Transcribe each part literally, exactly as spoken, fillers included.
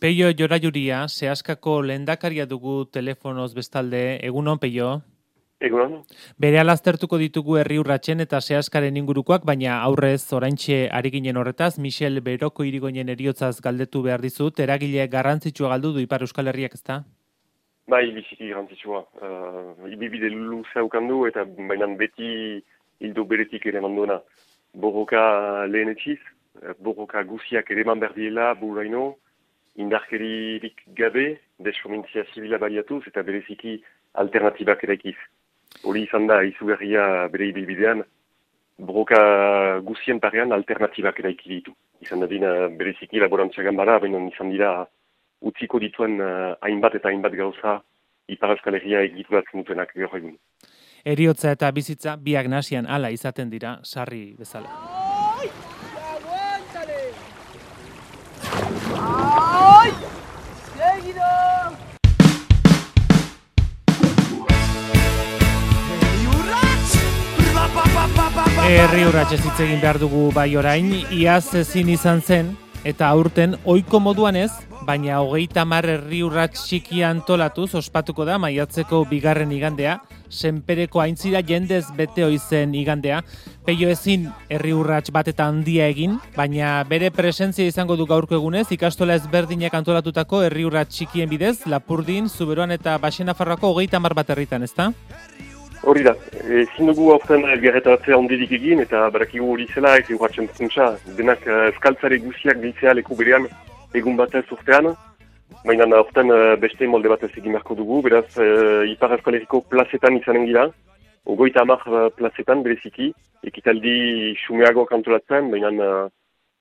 Peio Jorajuria, Seaskako lehendakaria dugu telefonoz bestalde. Egunon, Peio? Egunon. Berehala aztertuko ditugu herri urratsen eta Seaskaren ingurukoak, baina aurrez oraintxe ari ginen horretaz, Michel Beroko Irigoinen heriotzaz galdetu behar dizut, eragile garrantzitsua galdu du Ipar Euskal Herriak, ezta? Bai, biziki garrantzitsua. Uh, Ibibide luzea ukandu eta baina beti hildo beretik ere manduena. Borroka lehenetxiz, borroka guziak ere man berdiela buraino, indarkeririk gabe, desformintzia zibila baliatuz eta bereziki alternatibak eraikiz. Hori izan da, izugarria bere ibilbidean, borroka guzien parean alternatibak eraiki ditu. Izan da dina bereziki laborantzagan bara, baina izan dira utziko dituen uh, hainbat eta hainbat gauza Ipar Euskal Herria egituratzen dutenak gaur egun. Heriotza eta bizitza biak nasian hala izaten dira sarri bezala. ¡Ay! ¡Aguántale! ¡Ay! ¡Seguido! Herri urratsa hitz egin behar dugu bai orain, iaz ezin izan zen, eta aurten ohiko moduan ez, baina hogeita hamar herri urrats txiki antolatuz ospatuko da maiatzeko bigarren igandea, senpereko aintzira jendez bete oizen igandea. Peio ezin herri urrats bat eta handia egin, baina bere presentzia izango du gaurko egunez, ikastola ezberdinak antolatutako herri urrats txikien bidez, Lapurdin, Zuberoan eta Baxenafarroako hogeita hamar bat herritan, ezta? Hori da, ezin dugu aurten elgarretaratzea ondirik egin eta barakigu hori zela herri urratsen funtsa, denak eskaltzare guziak biltzea leku berean egun batez urtean, baina aurten beste molde batez egin beharko dugu, beraz uh, Ipar Euskal Herriko plazetan izanen gira, ogoita hamar plazetan bereziki, ekitaldi xumeagoak antolatzen, baina uh,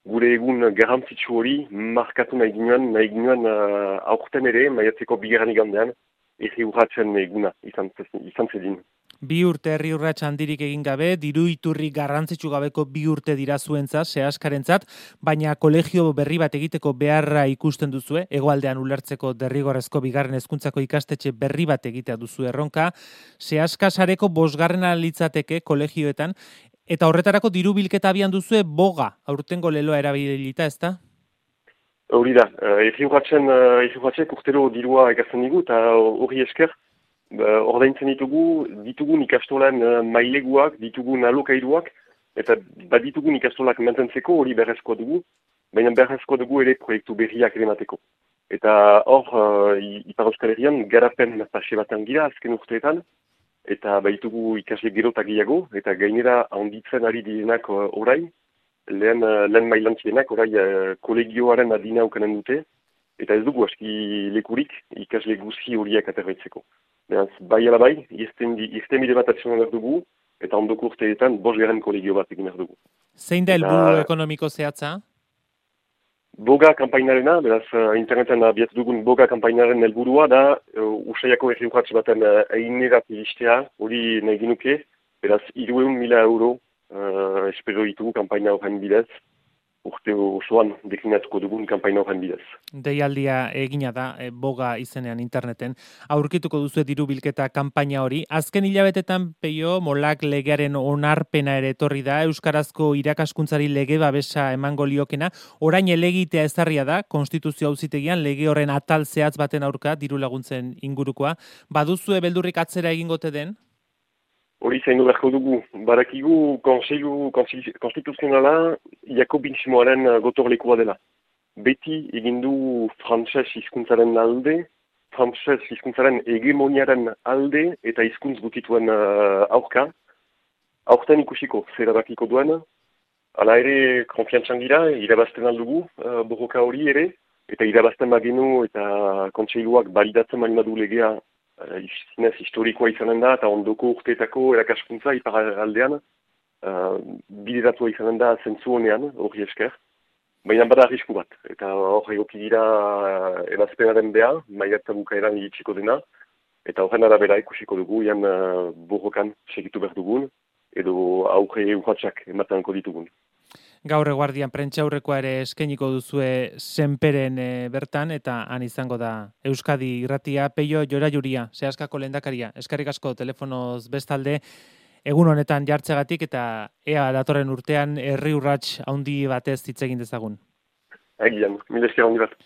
gure egun garrantzitsu hori markatu nahi ginoen, nahi ginoen uh, aurten ere, maiatzeko bigarren igandean, herri urratsen eguna izan, izan zedin. Bi urte herri urrats handirik egin gabe, diru iturri garrantzitsu gabeko bi urte dira zuentzat, Seaskarentzat, baina kolegio berri bat egiteko beharra ikusten duzue, hegoaldean ulertzeko derrigorrezko bigarren hezkuntzako ikastetxe berri bat egitea duzu erronka, Seaska sareko bosgarrena litzateke kolegioetan, eta horretarako diru bilketa abian duzue boga, aurtengo leloa erabilita, ezta? Hori da, herri urratsen urtero dirua ekartzen digu, eta hori esker, ordaintzen ditugu, ditugun ikastolan uh, maileguak, ditugun alokairuak, eta baditugun ikastolak mantentzeko hori berrezkoa dugu, baina berrezkoa dugu ere proiektu berriak ere mateko. Eta hor, uh, Ipar Euskal Herrian garapen pase batan gira azken urteetan, eta baditugu ikasle gerotak gehiago, eta gainera handitzen ari direnak uh, orain, lehen, uh, lehen mailantzirenak orai uh, kolegioaren adina ukanen dute, eta ez dugu aski lekurik ikasle guzi horiek aterbaitzeko. Beraz, bai ala bai, izten bide bat atzionan behar dugu, eta ondoko urteetan bosgarren kolegio bat egin behar dugu. Zein da helburu ekonomiko zehatza? Boga kanpainarena, beraz, interneten abiatu dugun boga kanpainaren helburua da, uh, usaiako herri urratsi baten uh, einerat iristea, hori nahi ginuke, beraz, hiruehun mila euro uh, espero ditugu kanpaina horren bidez, urte osoan deklinatuko dugun kanpaina horren bidez. Deialdia egina da, e, boga izenean interneten. Aurkituko duzu diru bilketa kanpaina hori. Azken hilabetetan, Peio, Molak legearen onarpena ere etorri da, euskarazko irakaskuntzari lege babesa emango liokena. Orain elegitea ezarria da, konstituzio auzitegian lege horren atal zehatz baten aurka, diru laguntzen ingurukoa. Baduzue beldurrik atzera egingote den? Hori zaindu beharko dugu. Barakigu konseilu konstituzionala jakobismoaren gotorlekua dela. Beti egin du frantses hizkuntzaren alde, frantses hizkuntzaren hegemoniaren alde eta hizkuntz gutituen uh, aurka. Aurten ikusiko, zer erabakiko duen. Hala ere, konfiantzan gira, irabazten aldugu uh, borroka hori ere, eta irabazten bagenu eta kontseiluak balidatzen bali badu legea zinez historikoa izanen da, eta ondoko urteetako erakaskuntza ipar aldean uh, bideratua izanen da zentzu honean, hori esker. Baina bada arrisku bat, eta hor egoki dira uh, ebazpenaren beha, maiatza bukaeran iritsiko dena, eta horren arabera ikusiko dugu, ian uh, borrokan segitu behar dugun, edo aurre urratsak ematenko ditugun. Gaur eguardian prentxaurrekoa ere eskainiko duzue senperen e, bertan, eta han izango da Euskadi irratia. Peio Jorajuria, Seaskako lehendakaria, eskerrik asko telefonoz bestalde, egun honetan jartzegatik, eta ea datorren urtean herri urrats handi batez hitz egin dezagun. Agian, mila esker handi bat.